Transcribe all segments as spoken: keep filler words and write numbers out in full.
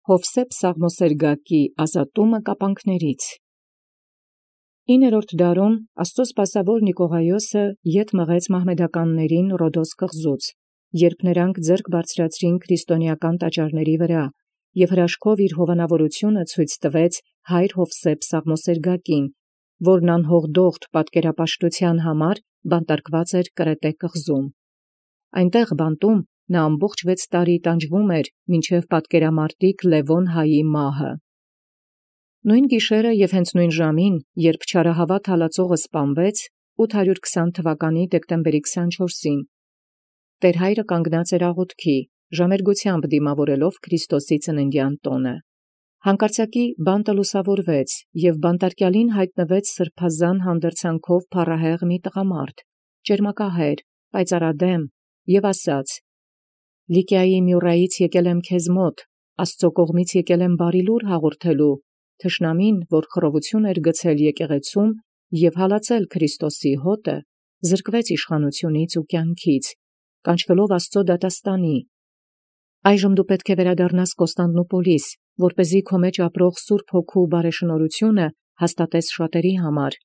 Յովսէփ Սաղմոսերգակի ազատումը կապանքներից։ Իններորդ դարուն Աստուծոյ սպասաւոր Նիկողայոսը ետ մղեց մահմեդականացն Ռոդոս կղզուց, երբ նոցա ձեռք բարձրացուցանէին քրիստոնեական տաճարացն վրայ, և հրաշքով իր հովանաւորութիւնն ցույց տուեալ հայր Յովսէփ Սաղմոսերգակին, որոյ անհողդողդ պատկերապաշտութեան համար բանտարկուած էր Կրետէ կղզում։ Անդ բանտում ամբողջ վեց ամի տանջեալ էր մինչև պատկերամարտիկ Լևոն հայոյ մահը։ Նոյն գիշերն և հենց նոյն ժամուն, երբ չարահաւատ հալածողն սպանվեց, ութ հարյուր քսան թվականի դեկտեմբերի քսանչորսին, Տէր հայրը կանգնած էր աղաւթքի, ժամերգութեամբ դիմաւորելով Քրիստոսի ծննդեան տօնը։ Հանկարծակի բանտը լուսաւորվեց, և բանտարկեալին յայտնվեց սրբազան հանդերձանքով փառահեղ մի տղամարդ, ճերմակահայր, պայծառադէմ, և ասաց. «Լիկիայի Միւրայից եկել եմ քեզմոտ, Աստուծոյ կողմից եկել եմ բարեացն լուր հաղորդել, թշնամին, որ խռովութիւն գցել եկեղեցւոյ և հալածել Քրիստոսի հօտը, զրկվեց իշխանութիւնից և կյանքից, կանչվելով Աստուծոյ դատաստանին. այժմ դու պետք է վերադառնաս Կոստանդնուպոլիս, որպէզի քո մեջ ապրող սուրբ Հոգու բարեշնորհութիւնը հաստատես շատերի համար։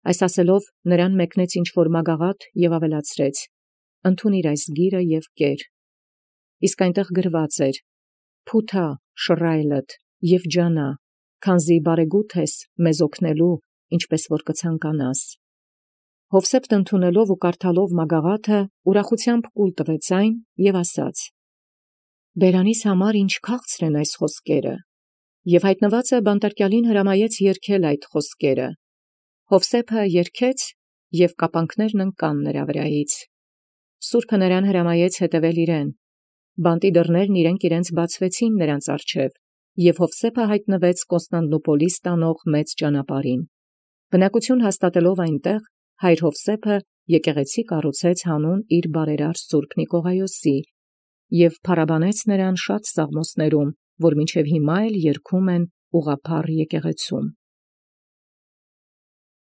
Այս ասելով նրան մեկնեց ինչ-որ մագաղաթ և ավելացրեց. ընդունիր այս գիրը և կեր։ Իսկ այնտեղ գրված էր. «Փութա շռայլդ և ջանայ, քանզի բարեգութ ես մեզ օգնելու, ինչպէս որ կցանկանաս»։ Յովսէփ ընդունելով և կարդալով մագաղաթը, ուրախութեամբ կուլ տվեց այն և ասաց. «Բերանիս համար ի՛նչ քաղցր են այս խօսքերը»։ Եւ յայտնուածը բանտարկեալին հրամայեց երգել այդ խօսքերը։ Յովսէփ երգեց, և կապանքներն ընկան վրայից։ Սուրբը նրան հրամայեց հետևել իրեն։ Բանտի դռներն իրանք իրանց բացուեցան նոցա առջև, և Յովսէփ յայտնվեց Կոստանդնուպոլիս տանող մեծ ճանապարհին։ Բնակութիւն հաստատելով անդ, հայր Յովսէփ եկեղեցի կառուցեց հանուն իր բարերար սուրբ Նիկողայոսի, և փառաբանեց նրան շատ սաղմոսիւք, որ մինչև հիմա էլ երգում են յուղափառ եկեղեցւոյ։